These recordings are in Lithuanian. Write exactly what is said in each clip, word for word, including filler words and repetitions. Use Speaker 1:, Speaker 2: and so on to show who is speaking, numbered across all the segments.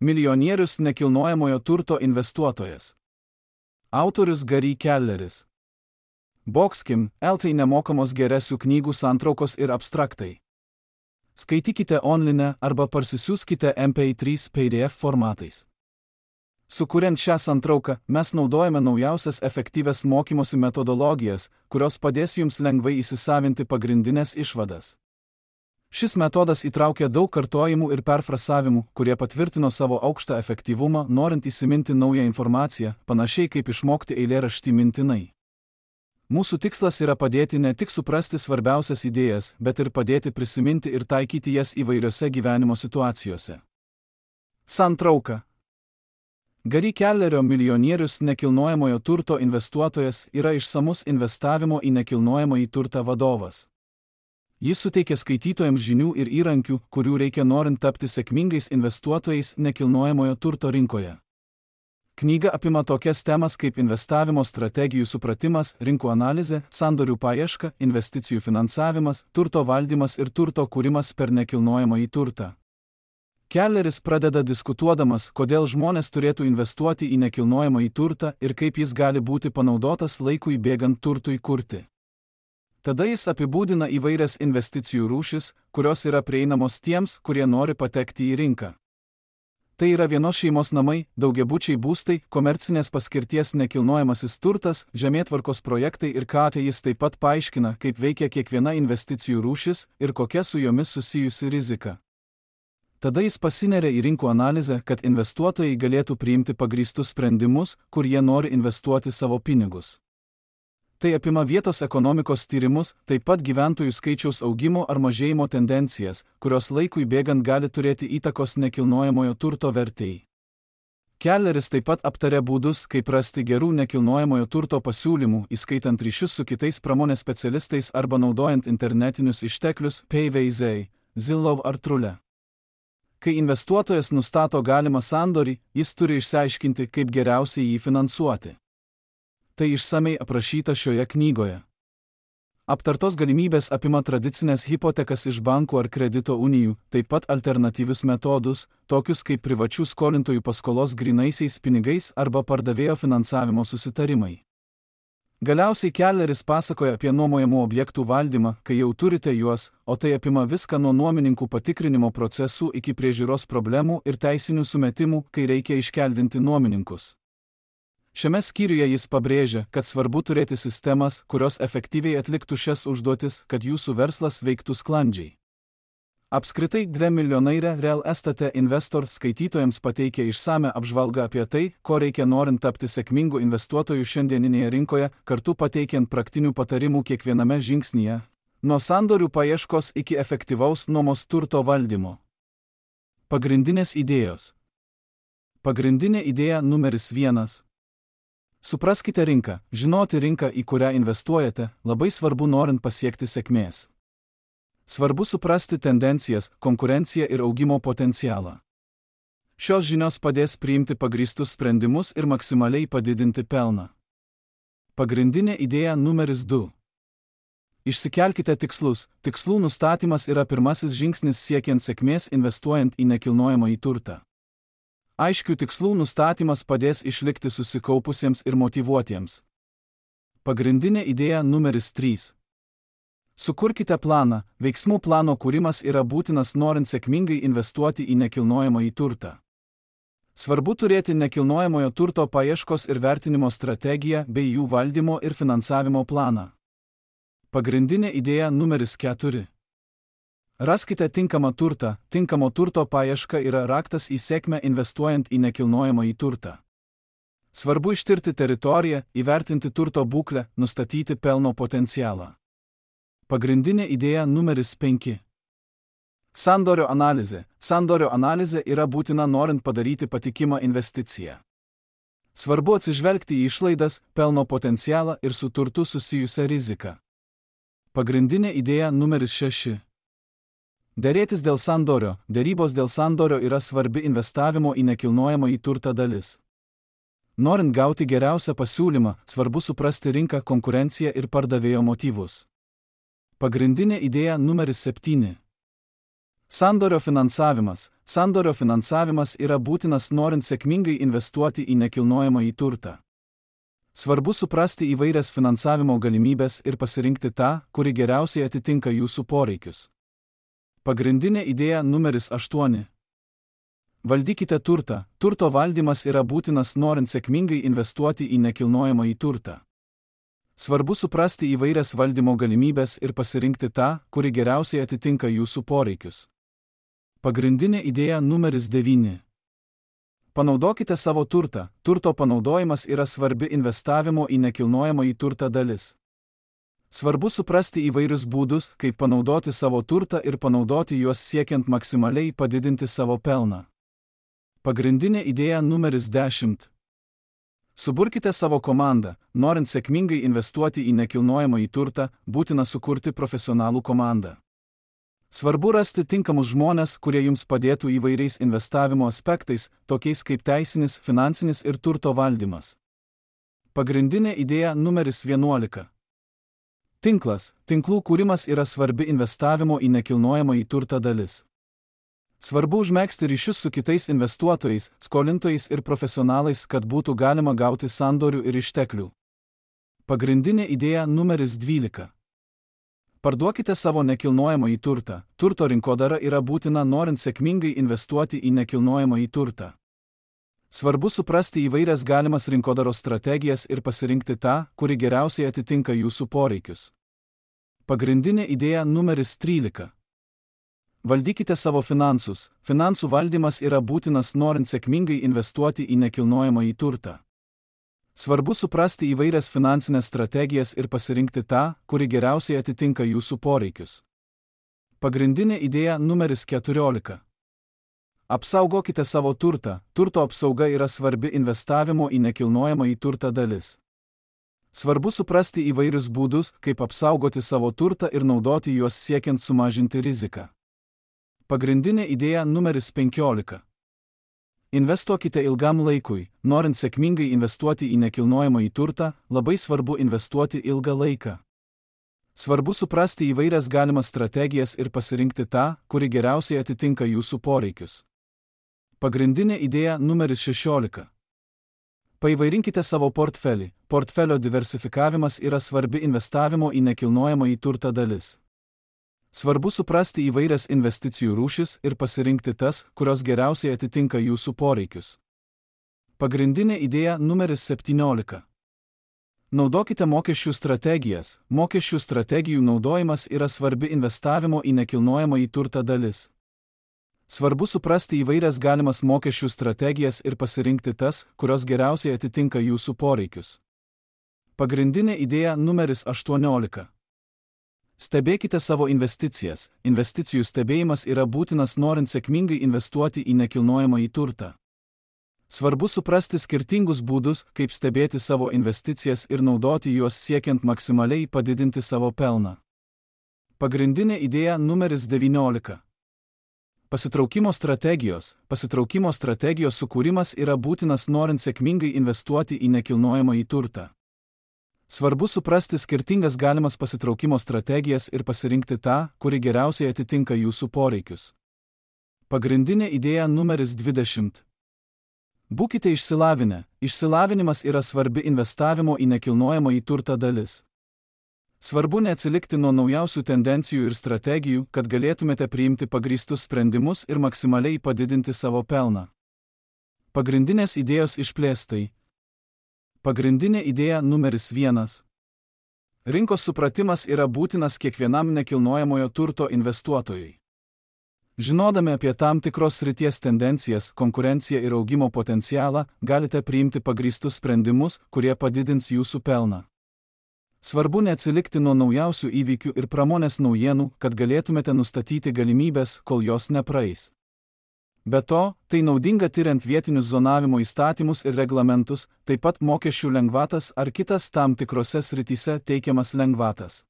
Speaker 1: Milijonierius nekilnojamojo turto investuotojas. Autorius Gary Kelleris. Boxkim, L T nemokamos geresių knygų santraukos ir abstraktai. Skaitykite online arba parsisiųskite M P trys P D F formatais. Sukuriant šią santrauką, mes naudojame naujausias efektyvias mokymosi metodologijas, kurios padės jums lengvai įsisavinti pagrindinės išvadas. Šis metodas įtraukia daug kartojimų ir perfrasavimų, kurie patvirtino savo aukštą efektyvumą, norint įsiminti naują informaciją, panašiai kaip išmokti eilėraštį mintinai. Mūsų tikslas yra padėti ne tik suprasti svarbiausias idėjas, bet ir padėti prisiminti ir taikyti jas įvairiose gyvenimo situacijose. Santrauka. Gary Kellerio Milijonierius nekilnojamojo turto investuotojas yra išsamus investavimo į nekilnojamąjį turtą vadovas. Jis suteikia skaitytojams žinių ir įrankių, kurių reikia norint tapti sėkmingais investuotojais nekilnojamojo turto rinkoje. Knyga apima tokias temas kaip investavimo strategijų supratimas, rinkų analizė, sandorių paieška, investicijų finansavimas, turto valdymas ir turto kūrimas per nekilnojamąjį turtą. Kelleris pradeda diskutuodamas, kodėl žmonės turėtų investuoti į nekilnojamąjį turtą ir kaip jis gali būti panaudotas laikui bėgant turtui kurti. Tada jis apibūdina įvairias investicijų rūšis, kurios yra prieinamos tiems, kurie nori patekti į rinką. Tai yra vienos šeimos namai, daugiabučiai būstai, komercinės paskirties nekilnojamasis turtas, žemėtvarkos projektai ir ką tai jis taip pat paaiškina, kaip veikia kiekviena investicijų rūšis ir kokia su jomis susijusi rizika. Tada jis pasineria į rinkų analizę, kad investuotojai galėtų priimti pagrįstus sprendimus, kur jie nori investuoti savo pinigus. Tai apima vietos ekonomikos tyrimus, taip pat gyventojų skaičiaus augimo ar mažėjimo tendencijas, kurios laikui bėgant gali turėti įtakos nekilnojamojo turto vertei. Kelleris taip pat aptarė būdus, kaip rasti gerų nekilnojamojo turto pasiūlymų, įskaitant ryšius su kitais pramonės specialistais arba naudojant internetinius išteklius, Payvazai, Zillow ar Trule. Kai investuotojas nustato galimą sandorį, jis turi išsiaiškinti, kaip geriausiai jį finansuoti. Tai išsamei aprašyta šioje knygoje. Aptartos galimybės apima tradicinės hipotekas iš bankų ar kredito unijų, taip pat alternatyvius metodus, tokius kaip privačių skolintojų paskolos grynaisiais pinigais arba pardavėjo finansavimo susitarimai. Galiausiai Kelleris pasakoja apie nuomojamų objektų valdymą, kai jau turite juos, o tai apima viską nuo nuomininkų patikrinimo procesų iki priežiūros problemų ir teisinių sumetimų, kai reikia iškeldinti nuomininkus. Šiame skyriuje jis pabrėžia, kad svarbu turėti sistemas, kurios efektyviai atliktų šias užduotis, kad jūsų verslas veiktų sklandžiai. Apskritai, dvi milijonairė Real Estate Investor skaitytojams pateikia išsame apžvalgą apie tai, ko reikia norint tapti sėkmingų investuotojų šiandieninėje rinkoje, kartu pateikiant praktinių patarimų kiekviename žingsnyje, nuo sandorių paieškos iki efektyvaus nuomos turto valdymo. Pagrindinės idėjos. Pagrindinė idėja numeris vienas. Supraskite rinką, žinoti rinką, į kurią investuojate, labai svarbu norint pasiekti sėkmės. Svarbu suprasti tendencijas, konkurenciją ir augimo potencialą. Šios žinios padės priimti pagrįstus sprendimus ir maksimaliai padidinti pelną. Pagrindinė idėja numeris du. Išsikelkite tikslus. Tikslų nustatymas yra pirmasis žingsnis siekiant sėkmės investuojant į nekilnojamąjį turtą. Aiškių tikslų nustatymas padės išlikti susikaupusiems ir motyvuotiems. Pagrindinė idėja numeris trys. Sukurkite planą. Veiksmų plano kūrimas yra būtinas norint sėkmingai investuoti į nekilnojamąjį turtą. Svarbu turėti nekilnojamojo turto paieškos ir vertinimo strategiją bei jų valdymo ir finansavimo planą. Pagrindinė idėja numeris keturi. Raskite tinkamą turtą. Tinkamo turto paieška yra raktas į sėkmę investuojant į nekilnojamąjį turtą. Svarbu ištirti teritoriją, įvertinti turto būklę, nustatyti pelno potencialą. Pagrindinė idėja numeris penki. Sandorio analizė. Sandorio analizė yra būtina norint padaryti patikimą investiciją. Svarbu atsižvelgti į išlaidas, pelno potencialą ir su turtu susijusią riziką. Pagrindinė idėja numeris šeši. Derėtis dėl sandorio. Derybos dėl sandorio yra svarbi investavimo į nekilnojamąjį turtą dalis. Norint gauti geriausią pasiūlymą, svarbu suprasti rinką, konkurenciją ir pardavėjo motyvus. Pagrindinė idėja numeris septyni. Sandorio finansavimas. Sandorio finansavimas yra būtinas norint sėkmingai investuoti į nekilnojamąjį turtą. Svarbu suprasti įvairias finansavimo galimybės ir pasirinkti tą, kuri geriausiai atitinka jūsų poreikius. Pagrindinė idėja numeris aštuoni. Valdykite turtą. Turto valdymas yra būtinas norint sėkmingai investuoti į nekilnojamąjį turtą. Svarbu suprasti įvairias valdymo galimybės ir pasirinkti tą, kuri geriausiai atitinka jūsų poreikius. Pagrindinė idėja numeris devyni. Panaudokite savo turtą. Turto panaudojimas yra svarbi investavimo į nekilnojamąjį turtą dalis. Svarbu suprasti įvairius būdus, kaip panaudoti savo turtą ir panaudoti juos siekiant maksimaliai padidinti savo pelną. Pagrindinė idėja numeris dešimt. Suburkite savo komandą. Norint sėkmingai investuoti į nekilnojamąjį turtą, būtina sukurti profesionalų komandą. Svarbu rasti tinkamus žmones, kurie jums padėtų įvairiais investavimo aspektais, tokiais kaip teisinis, finansinis ir turto valdymas. Pagrindinė idėja numeris vienuolika. Tinklas. Tinklų kūrimas yra svarbi investavimo į nekilnojamąjį turtą dalis. Svarbu užmegzti ryšius su kitais investuotojais, skolintojais ir profesionalais, kad būtų galima gauti sandorių ir išteklių. Pagrindinė idėja numeris dvylika. Parduokite savo nekilnojamąjį turtą. Turto rinkodara yra būtina norint sėkmingai investuoti į nekilnojamąjį turtą. Svarbu suprasti įvairias galimas rinkodaros strategijas ir pasirinkti tą, kuri geriausiai atitinka jūsų poreikius. Pagrindinė idėja numeris trylika. Valdykite savo finansus. Finansų valdymas yra būtinas norint sėkmingai investuoti į nekilnojamąjį turtą. Svarbu suprasti įvairias finansinės strategijas ir pasirinkti tą, kuri geriausiai atitinka jūsų poreikius. Pagrindinė idėja numeris keturiolika. Apsaugokite savo turtą. Turto apsauga yra svarbi investavimo į nekilnojamąjį turtą dalis. Svarbu suprasti įvairius būdus, kaip apsaugoti savo turtą ir naudoti juos siekiant sumažinti riziką. Pagrindinė idėja numeris penkiolika. Investuokite ilgam laikui. Norint sėkmingai investuoti į nekilnojamąjį turtą, labai svarbu investuoti ilgą laiką. Svarbu suprasti įvairias galimas strategijas ir pasirinkti tą, kuri geriausiai atitinka jūsų poreikius. Pagrindinė idėja numeris šešiolika. Paįvairinkite savo portfelį. Portfelio diversifikavimas yra svarbi investavimo į nekilnojamąjį turtą dalis. Svarbu suprasti įvairias investicijų rūšis ir pasirinkti tas, kurios geriausiai atitinka jūsų poreikius. Pagrindinė idėja numeris septyniolika. Naudokite mokesčių strategijas. Mokesčių strategijų naudojimas yra svarbi investavimo į nekilnojamąjį turtą dalis. Svarbu suprasti įvairias galimas mokesčių strategijas ir pasirinkti tas, kurios geriausiai atitinka jūsų poreikius. Pagrindinė idėja numeris aštuoniolika. Stebėkite savo investicijas. Investicijų stebėjimas yra būtinas norint sėkmingai investuoti į nekilnojamąjį turtą. Svarbu suprasti skirtingus būdus, kaip stebėti savo investicijas ir naudoti juos siekiant maksimaliai padidinti savo pelną. Pagrindinė idėja numeris devyniolika. Pasitraukimo strategijos. Pasitraukimo strategijos sukūrimas yra būtinas norint sėkmingai investuoti į nekilnojamąjį turtą. Svarbu suprasti skirtingas galimas pasitraukimo strategijas ir pasirinkti tą, kuri geriausiai atitinka jūsų poreikius. Pagrindinė idėja numeris dvidešimt. Būkite išsilavinę. Išsilavinimas yra svarbi investavimo į nekilnojamąjį turtą dalis. Svarbu neatsilikti nuo naujausių tendencijų ir strategijų, kad galėtumėte priimti pagrįstus sprendimus ir maksimaliai padidinti savo pelną. Pagrindinės idėjos išplėstai. Pagrindinė idėja numeris vienas. Rinkos supratimas yra būtinas kiekvienam nekilnojamojo turto investuotojui. Žinodami apie tam tikros srities tendencijas, konkurenciją ir augimo potencialą, galite priimti pagrįstus sprendimus, kurie padidins jūsų pelną. Svarbu neatsilikti nuo naujausių įvykių ir pramonės naujienų, kad galėtumėte nustatyti galimybės, kol jos nepraeis. Be to, tai naudinga tiriant vietinius zonavimo įstatymus ir reglamentus, taip pat mokesčių lengvatas ar kitas tam tikrose srityse teikiamas lengvatas.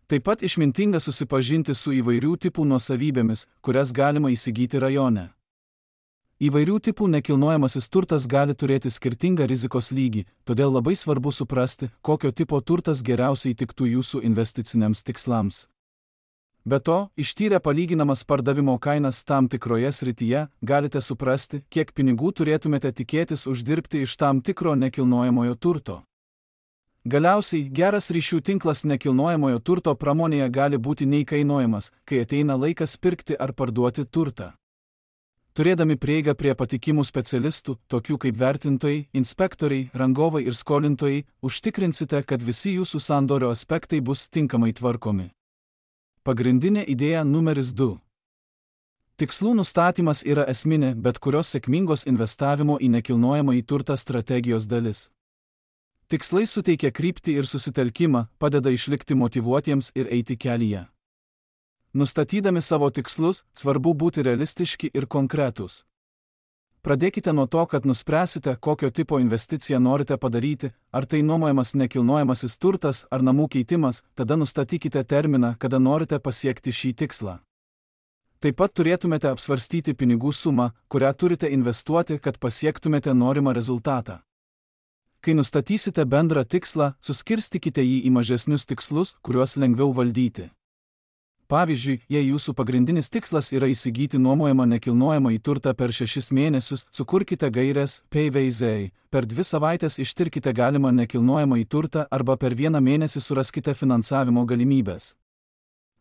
Speaker 1: Taip pat išmintinga susipažinti su įvairių tipų nuosavybėmis, kurias galima įsigyti rajone. Įvairių tipų nekilnojamasis turtas gali turėti skirtingą rizikos lygį, todėl labai svarbu suprasti, kokio tipo turtas geriausiai tiktų jūsų investiciniams tikslams. Be to, ištyrę palyginamas pardavimo kainas tam tikroje srityje, galite suprasti, kiek pinigų turėtumėte tikėtis uždirbti iš tam tikro nekilnojamojo turto. Galiausiai, geras ryšių tinklas nekilnojamojo turto pramonėje gali būti neįkainojamas, kai ateina laikas pirkti ar parduoti turtą. Turėdami prieigą prie patikimų specialistų, tokių kaip vertintojai, inspektoriai, rangovai ir skolintojai, užtikrinsite, kad visi jūsų sandorio aspektai bus tinkamai tvarkomi. Pagrindinė idėja numeris du. Tikslų nustatymas yra esminė bet kurios sėkmingos investavimo į nekilnojamąjį turtą strategijos dalis. Tikslai suteikia kryptį ir susitelkimą, padeda išlikti motyvuotiems ir eiti kelyje. Nustatydami savo tikslus, svarbu būti realistiški ir konkretūs. Pradėkite nuo to, kad nuspręsite, kokio tipo investiciją norite padaryti, ar tai nuomojamas nekilnojamasis turtas ar namų keitimas, tada nustatykite terminą, kada norite pasiekti šį tikslą. Taip pat turėtumėte apsvarstyti pinigų sumą, kurią turite investuoti, kad pasiektumėte norimą rezultatą. Kai nustatysite bendrą tikslą, suskirstykite jį į mažesnius tikslus, kuriuos lengviau valdyti. Pavyzdžiui, jei jūsų pagrindinis tikslas yra įsigyti nuomojamą nekilnojamąjį turtą per šešis mėnesius, sukurkite gaires P V Z, per dvi savaitės ištirkite galimą nekilnojamąjį turtą arba per vieną mėnesį suraskite finansavimo galimybės.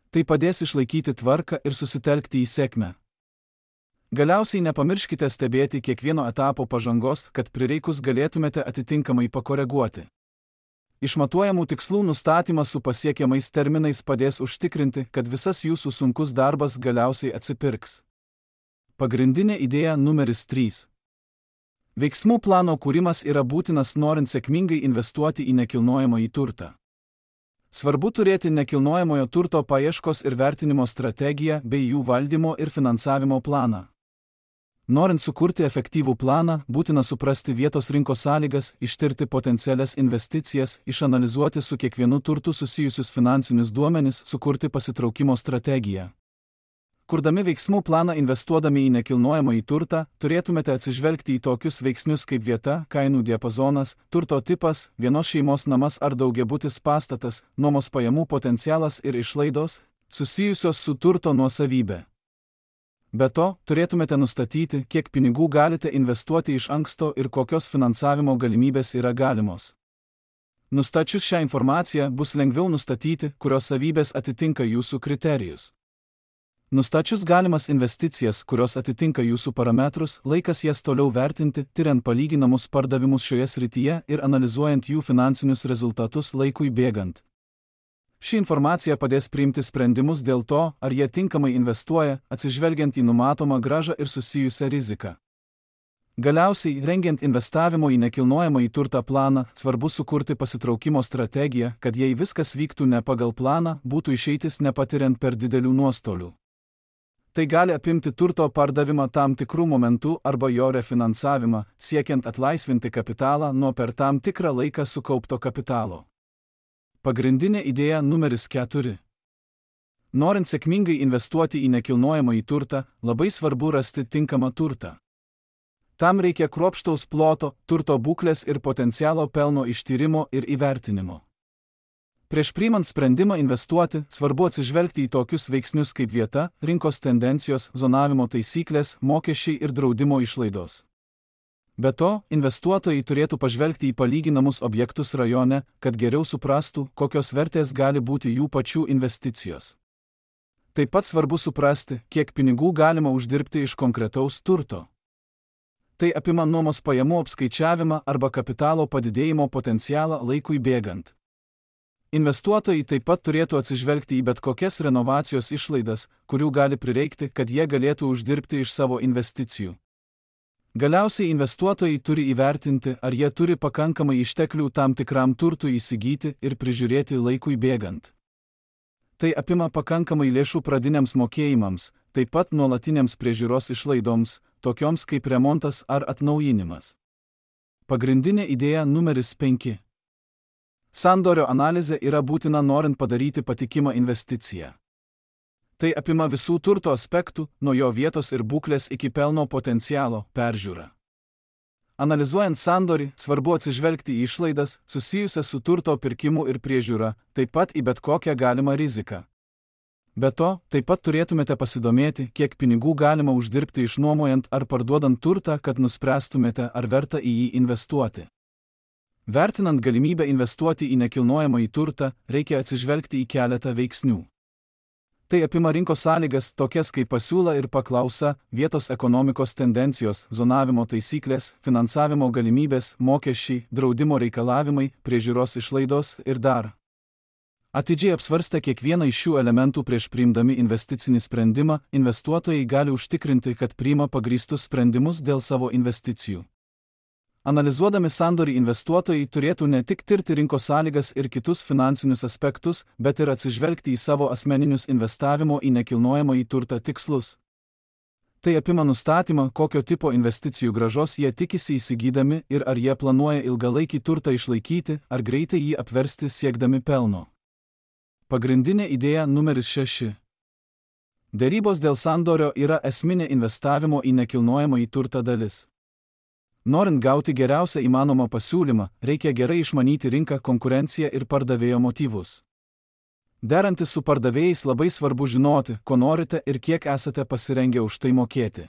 Speaker 1: Tai padės išlaikyti tvarką ir susitelkti į sėkmę. Galiausiai nepamirškite stebėti kiekvieno etapo pažangos, kad prireikus galėtumėte atitinkamai pakoreguoti. Išmatuojamų tikslų nustatymas su pasiekiamais terminais padės užtikrinti, kad visas jūsų sunkus darbas galiausiai atsipirks. Pagrindinė idėja numeris trys. Veiksmų plano kūrimas yra būtinas norint sėkmingai investuoti į nekilnojamąjį turtą. Svarbu turėti nekilnojamojo turto paieškos ir vertinimo strategiją bei jų valdymo ir finansavimo planą. Norint sukurti efektyvų planą, būtina suprasti vietos rinkos sąlygas, ištirti potencialias investicijas, išanalizuoti su kiekvienu turtu susijusius finansinius duomenis, sukurti pasitraukimo strategiją. Kurdami veiksmų planą investuodami į nekilnojamąjį turtą, turėtumėte atsižvelgti į tokius veiksnius kaip vieta, kainų diapazonas, turto tipas, vienos šeimos namas ar daugiabutis pastatas, nuomos pajamų potencialas ir išlaidos, susijusios su turto nuosavybė. Be to, turėtumėte nustatyti, kiek pinigų galite investuoti iš anksto ir kokios finansavimo galimybės yra galimos. Nustačius šią informaciją, bus lengviau nustatyti, kurios savybės atitinka jūsų kriterijus. Nustačius galimas investicijas, kurios atitinka jūsų parametrus, laikas jas toliau vertinti, tyriant palyginamus pardavimus šioje srityje ir analizuojant jų finansinius rezultatus laikui bėgant. Ši informacija padės priimti sprendimus dėl to, ar jie tinkamai investuoja, atsižvelgiant į numatomą grąžą ir susijusią riziką. Galiausiai, rengiant investavimo į nekilnojamąjį turtą planą, svarbu sukurti pasitraukimo strategiją, kad jei viskas vyktų ne pagal planą, būtų išeitis nepatiriant per didelių nuostolių. Tai gali apimti turto pardavimą tam tikrų momentų arba jo refinansavimą, siekiant atlaisvinti kapitalą nuo per tam tikrą laiką sukaupto kapitalo. Pagrindinė idėja numeris keturi. Norint sėkmingai investuoti į nekilnojamąjį turtą, labai svarbu rasti tinkamą turtą. Tam reikia kruopštaus ploto, turto būklės ir potencialo pelno ištyrimo ir įvertinimo. Prieš priimant sprendimą investuoti, svarbu atsižvelgti į tokius veiksnius kaip vieta, rinkos tendencijos, zonavimo taisyklės, mokesčiai ir draudimo išlaidos. Be to, investuotojai turėtų pažvelgti į palyginamus objektus rajone, kad geriau suprastų, kokios vertės gali būti jų pačių investicijos. Taip pat svarbu suprasti, kiek pinigų galima uždirbti iš konkretaus turto. Tai apima nuomos pajamų apskaičiavimą arba kapitalo padidėjimo potencialą laikui bėgant. Investuotojai taip pat turėtų atsižvelgti į bet kokias renovacijos išlaidas, kurių gali prireikti, kad jie galėtų uždirbti iš savo investicijų. Galiausiai investuotojai turi įvertinti, ar jie turi pakankamai išteklių tam tikram turtui įsigyti ir prižiūrėti laikui bėgant. Tai apima pakankamai lėšų pradiniams mokėjimams, taip pat nuolatiniams priežiūros išlaidoms, tokioms kaip remontas ar atnaujinimas. Pagrindinė idėja numeris penki. Sandorio analizė yra būtina norint padaryti patikimą investiciją. Tai apima visų turto aspektų, nuo jo vietos ir būklės iki pelno potencialo peržiūrą. Analizuojant sandorį, svarbu atsižvelgti į išlaidas, susijusias su turto pirkimu ir priežiūra, taip pat į bet kokią galimą riziką. Be to, taip pat turėtumėte pasidomėti, kiek pinigų galima uždirbti išnuomojant ar parduodant turtą, kad nuspręstumėte, ar verta į jį investuoti. Vertinant galimybę investuoti į nekilnojamąjį turtą, reikia atsižvelgti į keletą veiksnių. Tai apima rinkos sąlygas, tokias kaip pasiūla ir paklausa, vietos ekonomikos tendencijos, zonavimo taisyklės, finansavimo galimybės, mokesčiai, draudimo reikalavimai, priežiūros išlaidos ir dar. Atidžiai apsvarstę kiekvieną iš šių elementų prieš priimdami investicinį sprendimą, investuotojai gali užtikrinti, kad priima pagrįstus sprendimus dėl savo investicijų. Analizuodami sandorį investuotojai turėtų ne tik tirti rinkos sąlygas ir kitus finansinius aspektus, bet ir atsižvelgti į savo asmeninius investavimo į nekilnojamąjį turtą tikslus. Tai apima nustatymą, kokio tipo investicijų grąžos jie tikisi įsigydami ir ar jie planuoja ilgalaikį turtą išlaikyti, ar greitai jį apversti siekdami pelno. Pagrindinė idėja numeris šeši. Derybos dėl sandorio yra esminė investavimo į nekilnojamąjį turtą dalis. Norint gauti geriausią įmanomą pasiūlymą, reikia gerai išmanyti rinką, konkurenciją ir pardavėjo motyvus. Derantis su pardavėjais labai svarbu žinoti, ko norite ir kiek esate pasirengę už tai mokėti.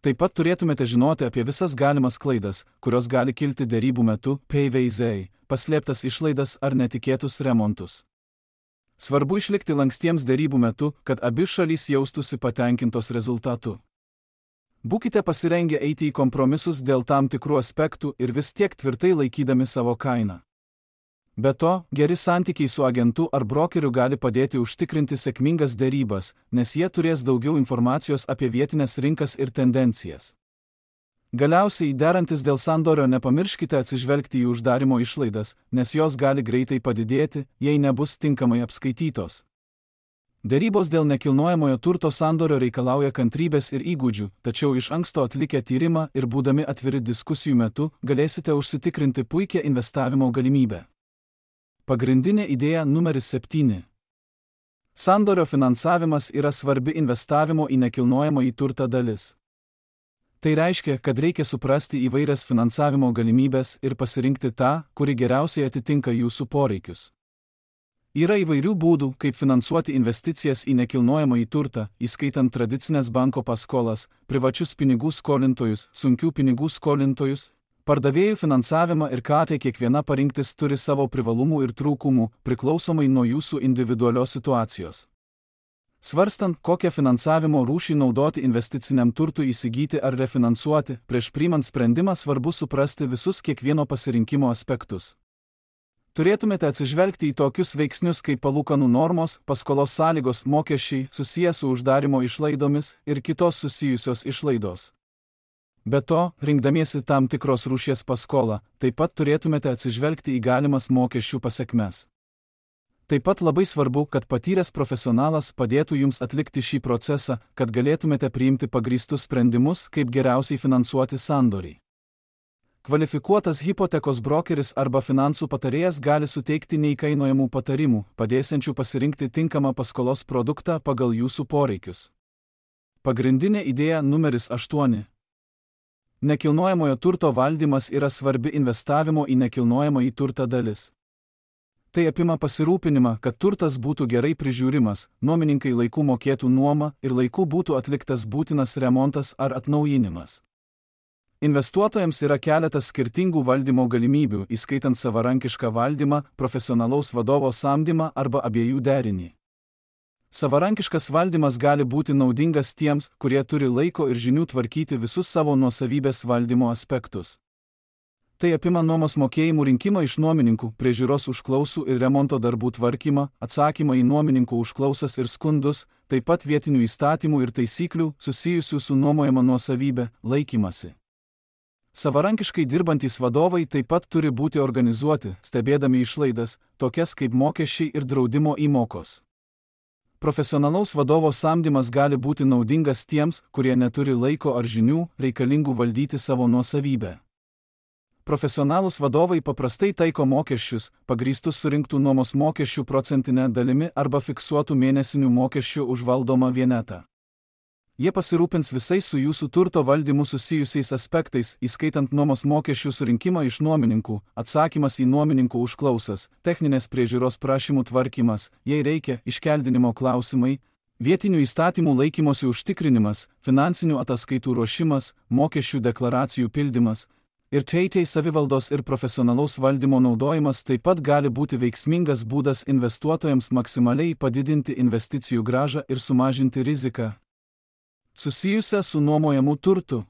Speaker 1: Taip pat turėtumėte žinoti apie visas galimas klaidas, kurios gali kilti derybų metu, P V Z, paslėptas išlaidas ar netikėtus remontus. Svarbu išlikti lankstiems derybų metu, kad abi šalys jaustųsi patenkintos rezultatu. Būkite pasirengę eiti į kompromisus dėl tam tikrų aspektų ir vis tiek tvirtai laikydami savo kainą. Be to, geri santykiai su agentu ar brokeriu gali padėti užtikrinti sėkmingas derybas, nes jie turės daugiau informacijos apie vietinės rinkas ir tendencijas. Galiausiai, derantis dėl sandorio, nepamirškite atsižvelgti į uždarimo išlaidas, nes jos gali greitai padidėti, jei nebus tinkamai apskaitytos. Derybos dėl nekilnojamojo turto sandorio reikalauja kantrybės ir įgūdžių, tačiau iš anksto atlikę tyrimą ir būdami atviri diskusijų metu, galėsite užsitikrinti puikią investavimo galimybę. Pagrindinė idėja numeris septyni. Sandorio finansavimas yra svarbi investavimo į nekilnojamąjį turtą dalis. Tai reiškia, kad reikia suprasti įvairias finansavimo galimybės ir pasirinkti tą, kuri geriausiai atitinka jūsų poreikius. Yra įvairių būdų, kaip finansuoti investicijas į nekilnojamąjį turtą, įskaitant tradicinės banko paskolas, privačius pinigų skolintojus, sunkių pinigų skolintojus, pardavėjų finansavimą ir ką tai kiekviena parinktis turi savo privalumų ir trūkumų, priklausomai nuo jūsų individualios situacijos. Svarstant, kokią finansavimo rūšį naudoti investiciniam turtui įsigyti ar refinansuoti, prieš priimant sprendimą svarbu suprasti visus kiekvieno pasirinkimo aspektus. Turėtumėte atsižvelgti į tokius veiksnius kaip palūkanų normos, paskolos sąlygos, mokesčiai, susiję su uždarimo išlaidomis ir kitos susijusios išlaidos. Be to, rinkdamiesi tam tikros rūšies paskolą, taip pat turėtumėte atsižvelgti į galimas mokesčių pasekmes. Taip pat labai svarbu, kad patyręs profesionalas padėtų jums atlikti šį procesą, kad galėtumėte priimti pagrįstus sprendimus, kaip geriausiai finansuoti sandorį. Kvalifikuotas hipotekos brokeris arba finansų patarėjas gali suteikti neįkainojamų patarimų, padėsiančių pasirinkti tinkamą paskolos produktą pagal jūsų poreikius. Pagrindinė idėja numeris aštuoni. Nekilnojamojo turto valdymas yra svarbi investavimo į nekilnojamąjį turtą dalis. Tai apima pasirūpinimą, kad turtas būtų gerai prižiūrimas, nuomininkai laiku mokėtų nuomą ir laiku būtų atliktas būtinas remontas ar atnaujinimas. Investuotojams yra keletas skirtingų valdymo galimybių, įskaitant savarankišką valdymą, profesionalaus vadovo samdymą arba abiejų derinį. Savarankiškas valdymas gali būti naudingas tiems, kurie turi laiko ir žinių tvarkyti visus savo nuosavybės valdymo aspektus. Tai apima nuomos mokėjimų rinkimą iš nuomininkų, priežiūros užklausų ir remonto darbų tvarkymą, atsakymą į nuomininkų užklausas ir skundus, taip pat vietinių įstatymų ir taisyklių susijusių su nuomojama nuosavybė laikymasi. Savarankiškai dirbantys vadovai taip pat turi būti organizuoti, stebėdami išlaidas, tokias kaip mokesčiai ir draudimo įmokos. Profesionalaus vadovo samdymas gali būti naudingas tiems, kurie neturi laiko ar žinių, reikalingų valdyti savo nuosavybę. Profesionalūs vadovai paprastai taiko mokesčius, pagrįstus surinktų nuomos mokesčių procentinę dalimi arba fiksuotų mėnesinių mokesčių už valdomą vienetą. Jie pasirūpins visais su jūsų turto valdymu susijusiais aspektais, įskaitant nuomos mokesčių surinkimą iš nuomininkų, atsakymas į nuomininkų užklausas, techninės priežiūros prašymų tvarkymas, jei reikia, iškeldinimo klausimai, vietinių įstatymų laikymosi užtikrinimas, finansinių ataskaitų ruošimas, mokesčių deklaracijų pildymas ir teitei savivaldos ir profesionalaus valdymo naudojimas taip pat gali būti veiksmingas būdas investuotojams maksimaliai padidinti investicijų grąžą ir sumažinti riziką susijusią su nuomojamu turtu.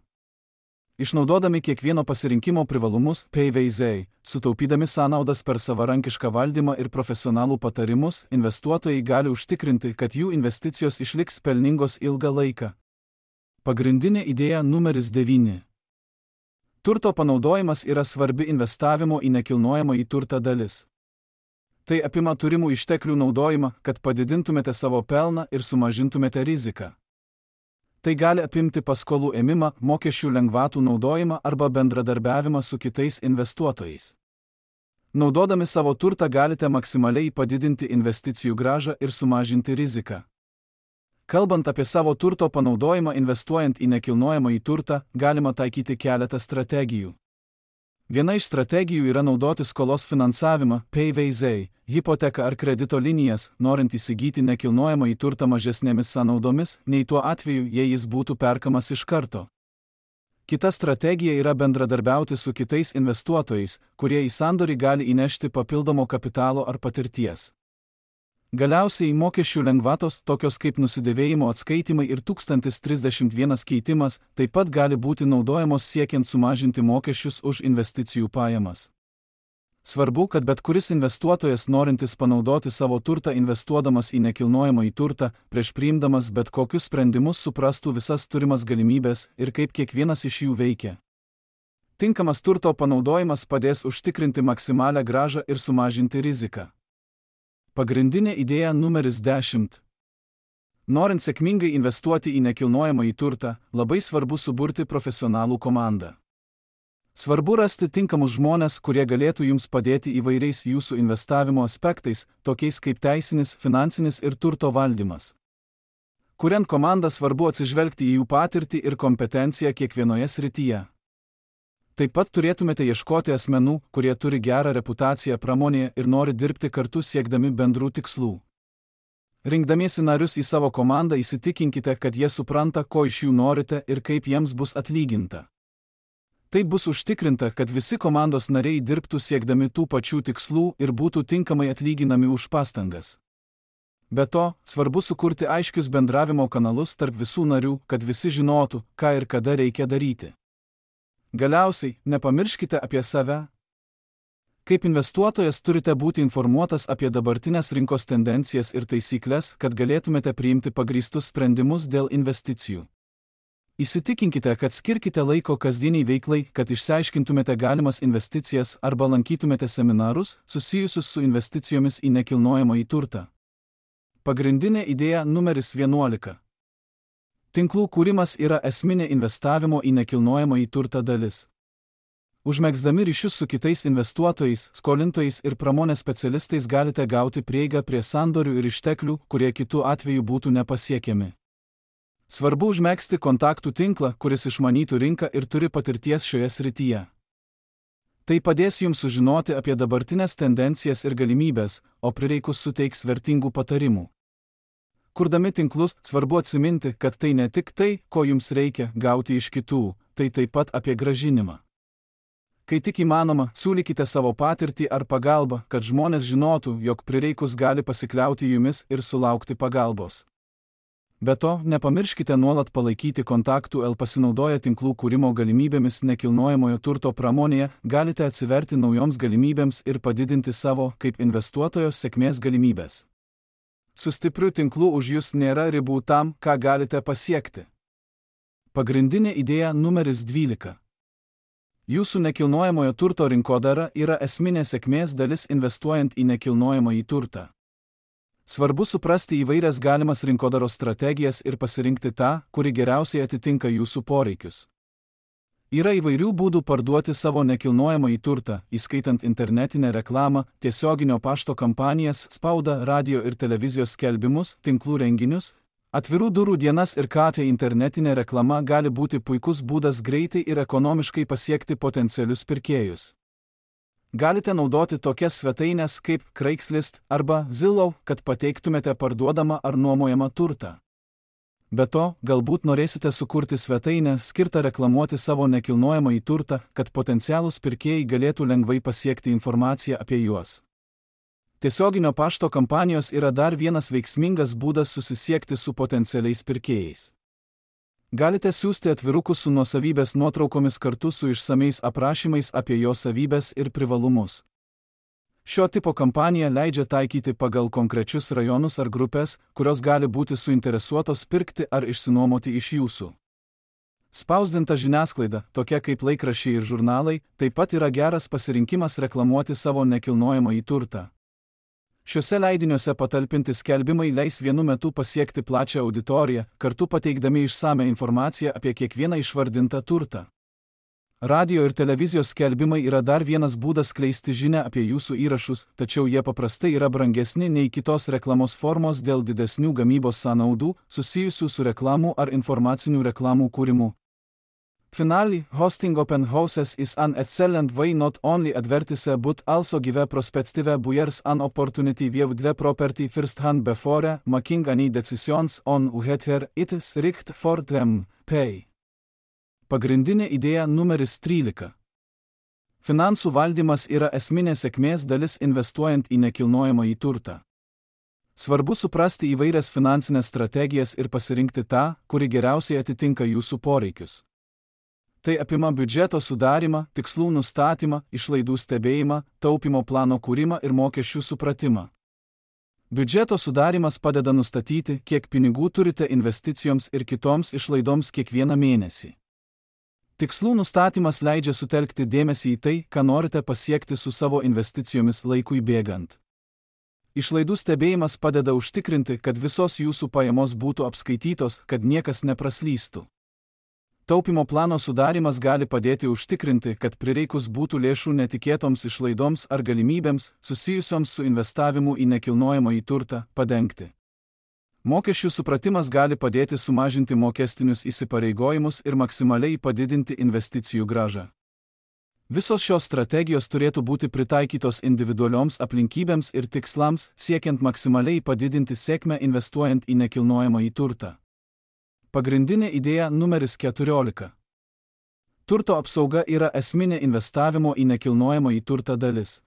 Speaker 1: Išnaudodami kiekvieno pasirinkimo privalumus, P V Z, sutaupydami sąnaudas per savarankišką valdymą ir profesionalų patarimus, investuotojai gali užtikrinti, kad jų investicijos išliks pelningos ilgą laiką. Pagrindinė idėja numeris devyni. Turto panaudojimas yra svarbi investavimo į nekilnojamąjį turtą dalis. Tai apima turimų išteklių naudojimą, kad padidintumėte savo pelną ir sumažintumėte riziką. Tai gali apimti paskolų ėmimą, mokesčių lengvatų naudojimą arba bendradarbiavimą su kitais investuotojais. Naudodami savo turtą galite maksimaliai padidinti investicijų grąžą ir sumažinti riziką. Kalbant apie savo turto panaudojimą investuojant į nekilnojamąjį turtą, galima taikyti keletą strategijų. Viena iš strategijų yra naudoti skolos finansavimą, P V Z, hipoteką ar kredito linijas, norint įsigyti nekilnojamąjį turtą mažesnėmis sąnaudomis, nei tuo atveju, jei jis būtų perkamas iš karto. Kita strategija yra bendradarbiauti su kitais investuotojais, kurie į sandorį gali įnešti papildomo kapitalo ar patirties. Galiausiai mokesčių lengvatos, tokios kaip nusidėvėjimo atskaitimai ir tūkstantis trisdešimt vienas keitimas, taip pat gali būti naudojamos siekiant sumažinti mokesčius už investicijų pajamas. Svarbu, kad bet kuris investuotojas norintis panaudoti savo turtą investuodamas į nekilnojamąjį turtą, prieš priimdamas bet kokius sprendimus suprastų visas turimas galimybės ir kaip kiekvienas iš jų veikia. Tinkamas turto panaudojimas padės užtikrinti maksimalią grąžą ir sumažinti riziką. Pagrindinė idėja numeris dešimt. Norint sėkmingai investuoti į nekilnojamąjį turtą, labai svarbu suburti profesionalų komandą. Svarbu rasti tinkamus žmones, kurie galėtų jums padėti įvairiais jūsų investavimo aspektais, tokiais kaip teisinis, finansinis ir turto valdymas. Kuriant komandą, svarbu atsižvelgti į jų patirtį ir kompetenciją kiekvienoje srityje. Taip pat turėtumėte ieškoti asmenų, kurie turi gerą reputaciją pramonėje ir nori dirbti kartu siekdami bendrų tikslų. Rinkdamiesi narius į savo komandą įsitikinkite, kad jie supranta, ko iš jų norite ir kaip jiems bus atlyginta. Taip bus užtikrinta, kad visi komandos nariai dirbtų siekdami tų pačių tikslų ir būtų tinkamai atlyginami už pastangas. Be to, svarbu sukurti aiškius bendravimo kanalus tarp visų narių, kad visi žinotų, ką ir kada reikia daryti. Galiausiai, nepamirškite apie save. Kaip investuotojas turite būti informuotas apie dabartinės rinkos tendencijas ir taisyklės, kad galėtumėte priimti pagrįstus sprendimus dėl investicijų. Įsitikinkite, kad skirkite laiko kasdieniai veiklai, kad išsiaiškintumėte galimas investicijas arba lankytumėte seminarus susijusius su investicijomis į nekilnojamąjį turtą. Pagrindinė idėja numeris vienuolika. Tinklų kūrimas yra esminė investavimo į nekilnojamąjį turtą dalis. Užmegzdami ryšius su kitais investuotojais, skolintojais ir pramonės specialistais galite gauti prieigą prie sandorių ir išteklių, kurie kitu atveju būtų nepasiekiami. Svarbu užmegzti kontaktų tinklą, kuris išmanytų rinką ir turi patirties šioje srityje. Tai padės jums sužinoti apie dabartinės tendencijas ir galimybės, o prireikus suteiks vertingų patarimų. Kurdami tinklus, svarbu atsiminti, kad tai ne tik tai, ko jums reikia gauti iš kitų, tai taip pat apie grąžinimą. Kai tik įmanoma, siūlykite savo patirtį ar pagalbą, kad žmonės žinotų, jog prireikus gali pasikliauti jumis ir sulaukti pagalbos. Be to, nepamirškite nuolat palaikyti kontaktų, el pasinaudoję tinklų kūrimo galimybėmis nekilnojamojo turto pramonėje, galite atsiverti naujoms galimybėms ir padidinti savo, kaip investuotojo, sėkmės galimybės. Su stipriu tinklu už jūs nėra ribų tam, ką galite pasiekti. Pagrindinė idėja numeris dvylika. Jūsų nekilnojamojo turto rinkodara yra esminė sėkmės dalis investuojant į nekilnojamąjį turtą. Svarbu suprasti įvairias galimas rinkodaros strategijas ir pasirinkti tą, kuri geriausiai atitinka jūsų poreikius. Yra įvairių būdų parduoti savo nekilnojamąjį turtą, įskaitant internetinę reklamą, tiesioginio pašto kampanijas, spaudą, radio ir televizijos skelbimus, tinklų renginius, Atvirų durų dienas ir ką tai internetinė reklama gali būti puikus būdas greitai ir ekonomiškai pasiekti potencialius pirkėjus. Galite naudoti tokias svetainės kaip Craigslist arba Zillow, kad pateiktumėte parduodamą ar nuomojamą turtą. Be to, galbūt norėsite sukurti svetainę skirtą reklamuoti savo nekilnojamąjį turtą, kad potencialūs pirkėjai galėtų lengvai pasiekti informaciją apie juos. Tiesioginio pašto kampanijos yra dar vienas veiksmingas būdas susisiekti su potencialiais pirkėjais. Galite siųsti atvirukus su nuosavybės nuotraukomis kartu su išsamiais aprašymais apie jo savybes ir privalumus. Šio tipo kampanija leidžia taikyti pagal konkrečius rajonus ar grupės, kurios gali būti suinteresuotos pirkti ar išsinuomoti iš jūsų. Spausdinta žiniasklaida, tokia kaip laikraščiai ir žurnalai, taip pat yra geras pasirinkimas reklamuoti savo nekilnojamąjį turtą. Šiuose leidiniuose patalpinti skelbimai leis vienu metu pasiekti plačią auditoriją, kartu pateikdami išsamią informaciją apie kiekvieną išvardintą turtą. Radio ir televizijos skelbimai yra dar vienas būdas skleisti žinią apie jūsų įrašus, tačiau jie paprastai yra brangesni nei kitos reklamos formos dėl didesnių gamybos sąnaudų, susijusių su reklamų ar informacinių reklamų kūrimu. Finally, hosting open houses is an excellent way not only advertise but also give prospective buyers an opportunity view the property firsthand before making any decisions on whether it is right for them. Pay. Pagrindinė idėja numeris trylika. Finansų valdymas yra esminė sėkmės dalis investuojant į nekilnojamąjį turtą. Svarbu suprasti įvairias finansinės strategijas ir pasirinkti tą, kuri geriausiai atitinka jūsų poreikius. Tai apima biudžeto sudarymą, tikslų nustatymą, išlaidų stebėjimą, taupimo plano kūrimą ir mokesčių supratimą. Biudžeto sudarymas padeda nustatyti, kiek pinigų turite investicijoms ir kitoms išlaidoms kiekvieną mėnesį. Tikslų nustatymas leidžia sutelkti dėmesį į tai, ką norite pasiekti su savo investicijomis laikui bėgant. Išlaidų stebėjimas padeda užtikrinti, kad visos jūsų pajamos būtų apskaitytos, kad niekas nepraslystų. Taupimo plano sudarimas gali padėti užtikrinti, kad prireikus būtų lėšų netikėtoms išlaidoms ar galimybėms, susijusioms su investavimu į nekilnojamąjį turtą, padengti. Mokesčių supratimas gali padėti sumažinti mokestinius įsipareigojimus ir maksimaliai padidinti investicijų grąžą. Visos šios strategijos turėtų būti pritaikytos individualioms aplinkybėms ir tikslams, siekiant maksimaliai padidinti sėkmę investuojant į nekilnojamąjį turtą. Pagrindinė idėja numeris keturiolika. Turto apsauga yra esminė investavimo į nekilnojamąjį turtą dalis.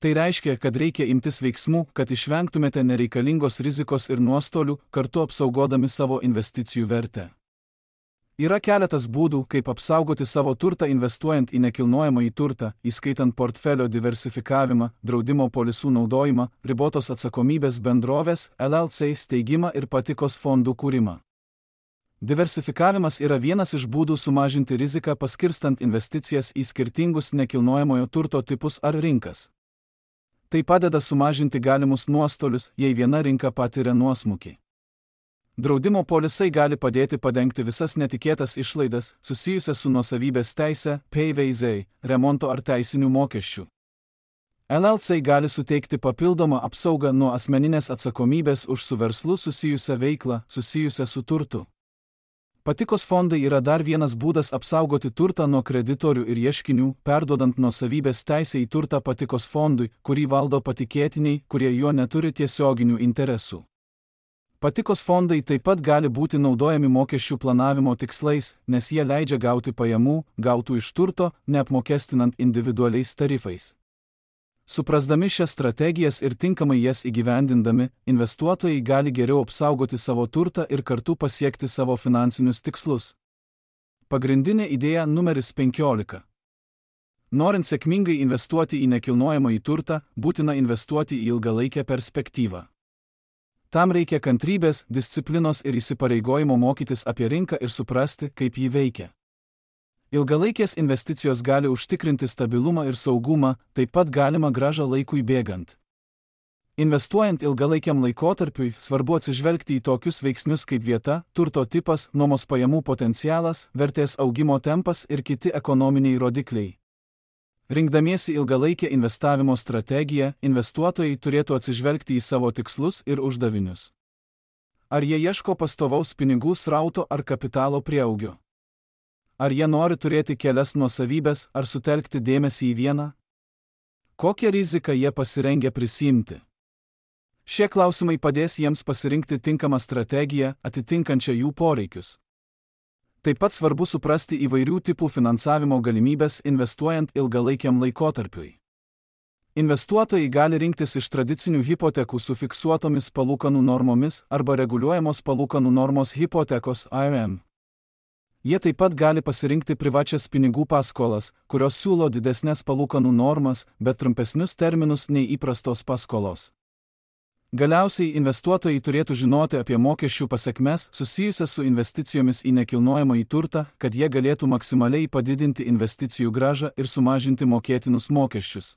Speaker 1: Tai reiškia, kad reikia imtis veiksmų, kad išvengtumėte nereikalingos rizikos ir nuostolių, kartu apsaugodami savo investicijų vertę. Yra keletas būdų, kaip apsaugoti savo turtą investuojant į nekilnojamąjį turtą, įskaitant portfelio diversifikavimą, draudimo polisų naudojimą, ribotos atsakomybės bendrovės, L L C steigimą ir patikos fondų kūrimą. Diversifikavimas yra vienas iš būdų sumažinti riziką paskirstant investicijas į skirtingus nekilnojamojo turto tipus ar rinkas. Tai padeda sumažinti galimus nuostolius, jei viena rinka patiria nuosmukį. Draudimo polisai gali padėti padengti visas netikėtas išlaidas, susijusias su nuosavybės teise, P V Z, remonto ar teisinių mokesčių. L L C gali suteikti papildomą apsaugą nuo asmeninės atsakomybės už su verslu susijusią veiklą, susijusią su turtu. Patikos fondai yra dar vienas būdas apsaugoti turtą nuo kreditorių ir ieškinių, perduodant nuosavybės teisę į turtą patikos fondui, kurį valdo patikėtiniai, kurie juo neturi tiesioginių interesų. Patikos fondai taip pat gali būti naudojami mokesčių planavimo tikslais, nes jie leidžia gauti pajamų, gautų iš turto, neapmokestinant individualiais tarifais. Suprasdami šias strategijas ir tinkamai jas įgyvendindami, investuotojai gali geriau apsaugoti savo turtą ir kartu pasiekti savo finansinius tikslus. Pagrindinė idėja numeris penkiolika. Norint sėkmingai investuoti į nekilnojamąjį turtą, būtina investuoti į ilgalaikę perspektyvą. Tam reikia kantrybės, disciplinos ir įsipareigojimo mokytis apie rinką ir suprasti, kaip ji veikia. Ilgalaikės investicijos gali užtikrinti stabilumą ir saugumą, taip pat galima grąžą laikui bėgant. Investuojant ilgalaikiam laikotarpiui, svarbu atsižvelgti į tokius veiksnius kaip vieta, turto tipas, nuomos pajamų potencialas, vertės augimo tempas ir kiti ekonominiai rodikliai. Rinkdamiesi ilgalaikę investavimo strategiją, investuotojai turėtų atsižvelgti į savo tikslus ir uždavinius. Ar jie ieško pastovaus pinigų srauto ar kapitalo prieaugio? Ar jie nori turėti kelias nuosavybės ar sutelkti dėmesį į vieną? Kokią riziką jie pasirengę prisimti? Šie klausimai padės jiems pasirinkti tinkamą strategiją, atitinkančią jų poreikius. Taip pat svarbu suprasti įvairių tipų finansavimo galimybės investuojant ilgalaikiam laikotarpiui. Investuotojai gali rinktis iš tradicinių hipotekų su fiksuotomis palūkanų normomis arba reguliuojamos palūkanų normos hipotekos I R M. Jie taip pat gali pasirinkti privačias pinigų paskolas, kurios siūlo didesnės palūkanų normas, bet trumpesnius terminus nei įprastos paskolos. Galiausiai investuotojai turėtų žinoti apie mokesčių pasekmes susijusias su investicijomis į nekilnojamąjį turtą, kad jie galėtų maksimaliai padidinti investicijų grąžą ir sumažinti mokėtinus mokesčius.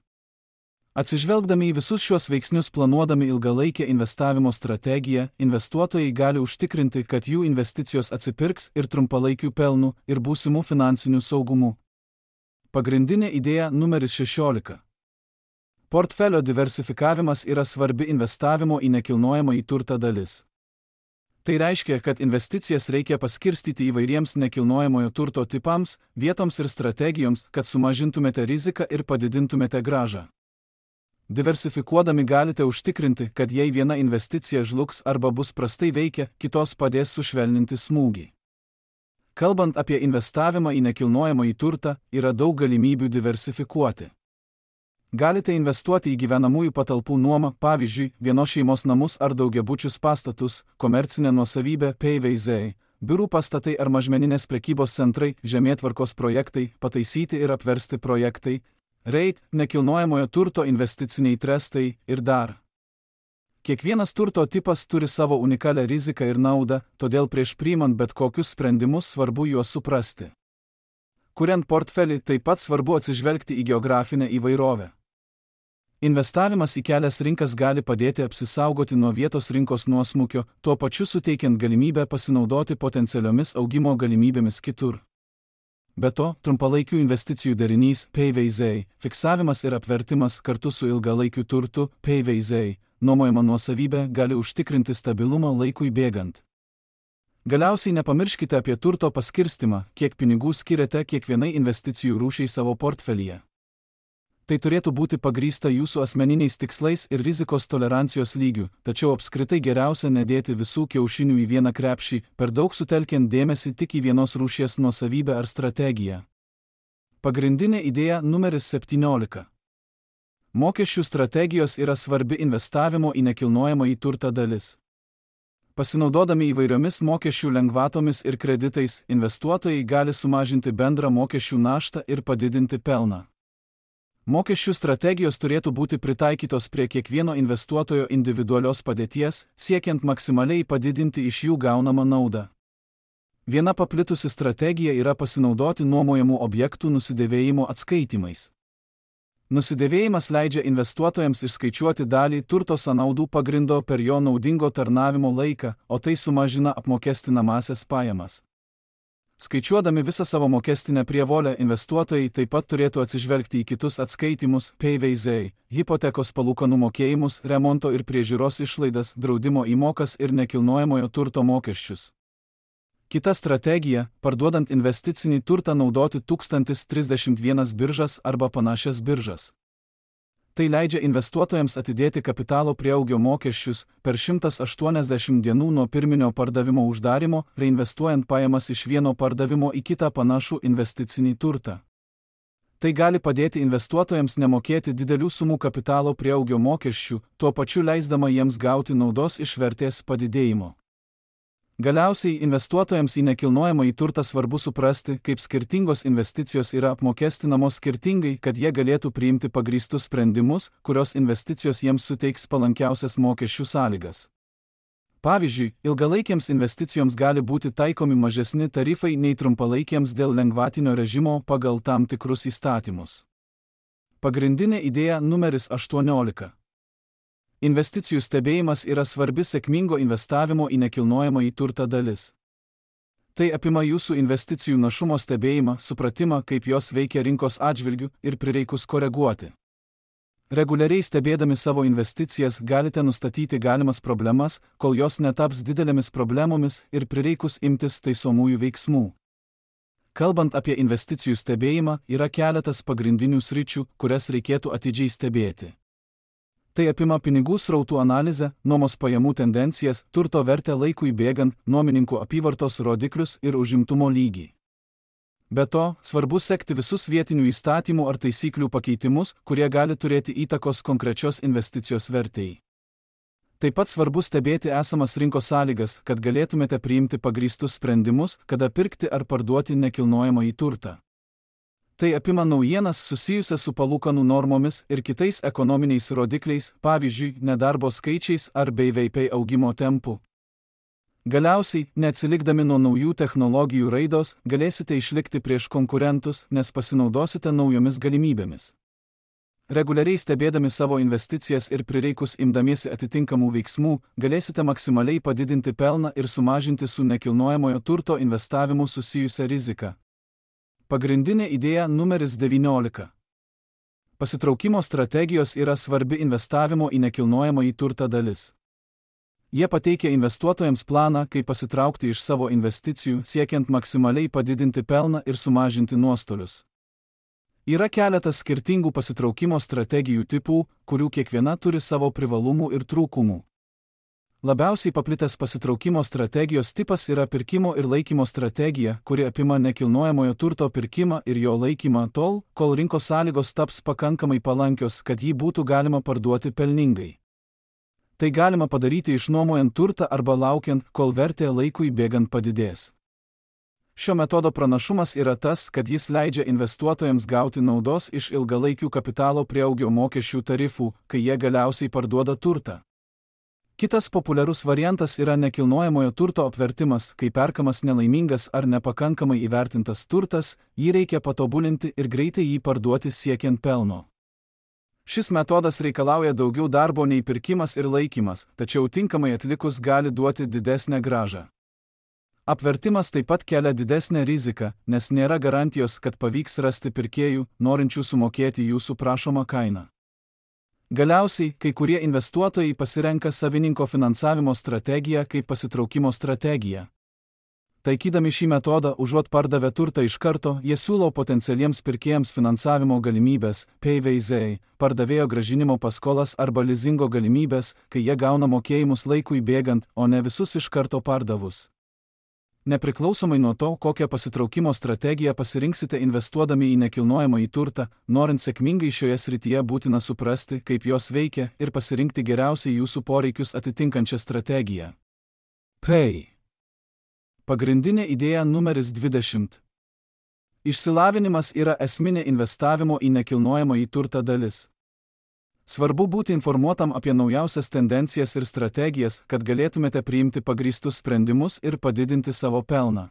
Speaker 1: Atsižvelgdami į visus šiuos veiksnius planuodami ilgalaikę investavimo strategiją, investuotojai gali užtikrinti, kad jų investicijos atsipirks ir trumpalaikių pelnų, ir būsimų finansinių saugumų. Pagrindinė idėja numeris šešiolika. Portfelio diversifikavimas yra svarbi investavimo į nekilnojamąjį turtą dalis. Tai reiškia, kad investicijas reikia paskirstyti įvairiems nekilnojamojo turto tipams, vietoms ir strategijoms, kad sumažintumėte riziką ir padidintumėte grąžą. Diversifikuodami galite užtikrinti, kad jei viena investicija žlugs arba bus prastai veikia, kitos padės sušvelninti smūgį. Kalbant apie investavimą į nekilnojamąjį turtą, yra daug galimybių diversifikuoti. Galite investuoti į gyvenamųjų patalpų nuomą, pavyzdžiui, vienos šeimos namus ar daugiabučius pastatus, komercinę nuosavybę, P V Z, biurų pastatai ar mažmeninės prekybos centrai, žemėtvarkos projektai, pataisyti ir apversti projektai, reit, nekilnojamojo turto investiciniai trestai ir dar. Kiekvienas turto tipas turi savo unikalią riziką ir naudą, todėl prieš priimant bet kokius sprendimus svarbu juos suprasti. Kuriant portfelį, taip pat svarbu atsižvelgti į geografinę įvairovę. Investavimas į kelias rinkas gali padėti apsisaugoti nuo vietos rinkos nuosmukio, tuo pačiu suteikiant galimybę pasinaudoti potencialiomis augimo galimybėmis kitur. Be to, trumpalaikių investicijų derinys P V Z, fiksavimas ir apvertimas kartu su ilgalaikiu turtu P V Z, nuomojama nuosavybė gali užtikrinti stabilumą laikui bėgant. Galiausiai nepamirškite apie turto paskirstimą, kiek pinigų skiriate kiekvienai investicijų rūšiai savo portfelyje. Tai turėtų būti pagrįsta jūsų asmeniniais tikslais ir rizikos tolerancijos lygiu, tačiau apskritai geriausia nedėti visų kiaušinių į vieną krepšį, per daug sutelkiant dėmesį tik į vienos rūšies nuosavybę ar strategiją. Pagrindinė idėja numeris septyniolika. Mokesčių strategijos yra svarbi investavimo į nekilnojamąjį turtą dalis. Pasinaudodami įvairiomis mokesčių lengvatomis ir kreditais, investuotojai gali sumažinti bendrą mokesčių naštą ir padidinti pelną. Mokesčių strategijos turėtų būti pritaikytos prie kiekvieno investuotojo individualios padėties, siekiant maksimaliai padidinti iš jų gaunamą naudą. Viena paplitusi strategija yra pasinaudoti nuomojamų objektų nusidėvėjimo atskaitimais. Nusidėvėjimas leidžia investuotojams išskaičiuoti dalį turto sąnaudų pagrindo per jo naudingo tarnavimo laiką, o tai sumažina apmokestinamąsias pajamas. Skaičiuodami visą savo mokestinę prievolę, investuotojai taip pat turėtų atsižvelgti į kitus atskaitimus, P V Z, hipotekos palūkanų mokėjimus, remonto ir priežiūros išlaidas, draudimo įmokas ir nekilnojamojo turto mokesčius. Kita strategija – parduodant investicinį turtą naudoti tūkstantis trisdešimt vienas biržas arba panašias biržas. Tai leidžia investuotojams atidėti kapitalo prieaugio mokesčius per šimtas aštuoniasdešimt dienų nuo pirminio pardavimo uždarimo, reinvestuojant pajamas iš vieno pardavimo į kitą panašų investicinį turtą. Tai gali padėti investuotojams nemokėti didelių sumų kapitalo prieaugio mokesčių, tuo pačiu leisdama jiems gauti naudos iš vertės padidėjimo. Galiausiai investuotojams į nekilnojamąjį turtą svarbu suprasti, kaip skirtingos investicijos yra apmokestinamos skirtingai, kad jie galėtų priimti pagrįstus sprendimus, kurios investicijos jiems suteiks palankiausias mokesčių sąlygas. Pavyzdžiui, ilgalaikiams investicijoms gali būti taikomi mažesni tarifai nei trumpalaikiams dėl lengvatinio režimo pagal tam tikrus įstatymus. Pagrindinė idėja numeris aštuoniolika. Investicijų stebėjimas yra svarbi sėkmingo investavimo į nekilnojamąjį turtą dalis. Tai apima jūsų investicijų našumo stebėjimą, supratimą, kaip jos veikia rinkos atžvilgiu ir prireikus koreguoti. Reguliariai stebėdami savo investicijas galite nustatyti galimas problemas, kol jos netaps didelėmis problemomis ir prireikus imtis taisomųjų veiksmų. Kalbant apie investicijų stebėjimą, yra keletas pagrindinių sričių, kurias reikėtų atidžiai stebėti. Tai apima pinigų srautų analizę, nuomos pajamų tendencijas, turto vertę laikui bėgant, nuomininkų apyvartos rodiklius ir užimtumo lygį. Be to, svarbu sekti visus vietinių įstatymų ar taisyklių pakeitimus, kurie gali turėti įtakos konkrečios investicijos vertei. Taip pat svarbu stebėti esamas rinkos sąlygas, kad galėtumėte priimti pagrįstus sprendimus, kada pirkti ar parduoti nekilnojamąjį turtą. Tai apima naujienas susijusias su palūkanų normomis ir kitais ekonominiais rodikliais, pavyzdžiui, nedarbo skaičiais ar B V P augimo tempu. Galiausiai, neatsilikdami nuo naujų technologijų raidos, galėsite išlikti prieš konkurentus, nes pasinaudosite naujomis galimybėmis. Reguliariai stebėdami savo investicijas ir prireikus imdamiesi atitinkamų veiksmų, galėsite maksimaliai padidinti pelną ir sumažinti su nekilnojamojo turto investavimu susijusią riziką. Pagrindinė idėja numeris devyniolika. Pasitraukimo strategijos yra svarbi investavimo į nekilnojamąjį turtą dalis. Jie pateikia investuotojams planą, kaip pasitraukti iš savo investicijų, siekiant maksimaliai padidinti pelną ir sumažinti nuostolius. Yra keletas skirtingų pasitraukimo strategijų tipų, kurių kiekviena turi savo privalumų ir trūkumų. Labiausiai paplitęs pasitraukimo strategijos tipas yra pirkimo ir laikymo strategija, kuri apima nekilnojamojo turto pirkimą ir jo laikymą tol, kol rinkos sąlygos taps pakankamai palankios, kad jį būtų galima parduoti pelningai. Tai galima padaryti išnuomojant turtą arba laukiant, kol vertė laikui bėgant padidės. Šio metodo pranašumas yra tas, kad jis leidžia investuotojams gauti naudos iš ilgalaikių kapitalo prieaugio mokesčių tarifų, kai jie galiausiai parduoda turtą. Kitas populiarus variantas yra nekilnojamojo turto apvertimas, kai perkamas nelaimingas ar nepakankamai įvertintas turtas, jį reikia patobulinti ir greitai jį parduoti siekiant pelno. Šis metodas reikalauja daugiau darbo nei pirkimas ir laikymas, tačiau tinkamai atlikus gali duoti didesnę grąžą. Apvertimas taip pat kelia didesnę riziką, nes nėra garantijos, kad pavyks rasti pirkėjų, norinčių sumokėti jūsų prašomą kainą. Galiausiai, kai kurie investuotojai pasirenka savininko finansavimo strategiją kaip pasitraukimo strategiją. Taikydami šį metodą, užuot pardavę turtą iš karto, jie siūlo potencialiems pirkėjams finansavimo galimybės, P V Z, pardavėjo grąžinimo paskolas arba lizingo galimybės, kai jie gauna mokėjimus laikui bėgant, o ne visus iš karto pardavus. Nepriklausomai nuo to, kokią pasitraukimo strategiją pasirinksite investuodami į nekilnojamąjį turtą, norint sėkmingai šioje srityje būtina suprasti, kaip jos veikia ir pasirinkti geriausiai jūsų poreikius atitinkančią strategiją. P. Pagrindinė idėja numeris dvidešimt. Išsilavinimas yra esminė investavimo į nekilnojamąjį turtą dalis. Svarbu būti informuotam apie naujausias tendencijas ir strategijas, kad galėtumėte priimti pagrįstus sprendimus ir padidinti savo pelną.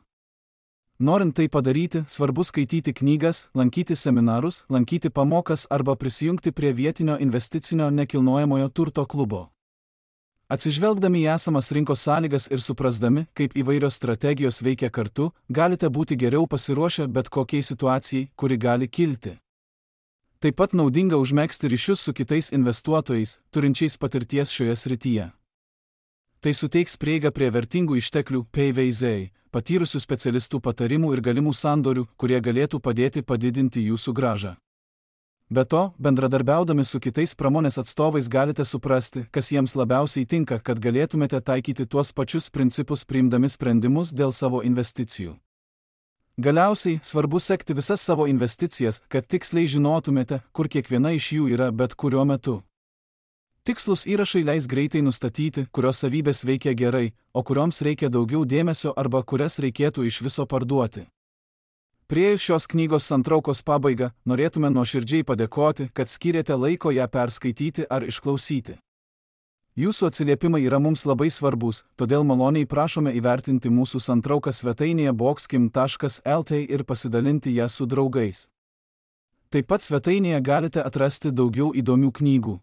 Speaker 1: Norint tai padaryti, svarbu skaityti knygas, lankyti seminarus, lankyti pamokas arba prisijungti prie vietinio investicinio nekilnojamojo turto klubo. Atsižvelgdami į esamas rinkos sąlygas ir suprasdami, kaip įvairios strategijos veikia kartu, galite būti geriau pasiruošę bet kokiai situacijai, kuri gali kilti. Taip pat naudinga užmegzti ryšius su kitais investuotojais, turinčiais patirties šioje srityje. Tai suteiks prieigą prie vertingų išteklių P V Z, patyrusių specialistų patarimų ir galimų sandorių, kurie galėtų padėti padidinti jūsų grąžą. Be to, bendradarbiaudami su kitais pramonės atstovais galite suprasti, kas jiems labiausiai tinka, kad galėtumėte taikyti tuos pačius principus priimdami sprendimus dėl savo investicijų. Galiausiai, svarbu sekti visas savo investicijas, kad tiksliai žinotumėte, kur kiekviena iš jų yra bet kuriuo metu. Tikslus įrašai leis greitai nustatyti, kurios savybės veikia gerai, o kurioms reikia daugiau dėmesio arba kurias reikėtų iš viso parduoti. Priėjus šios knygos santraukos pabaigą, norėtume nuoširdžiai padėkoti, kad skyrėte laiko ją perskaityti ar išklausyti. Jūsų atsiliepimai yra mums labai svarbus, todėl maloniai prašome įvertinti mūsų santrauką svetainėje boxkim taškas L T ir pasidalinti ją su draugais. Taip pat svetainėje galite atrasti daugiau įdomių knygų.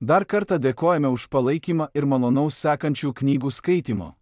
Speaker 1: Dar kartą dėkojame už palaikymą ir malonaus sekančių knygų skaitimo.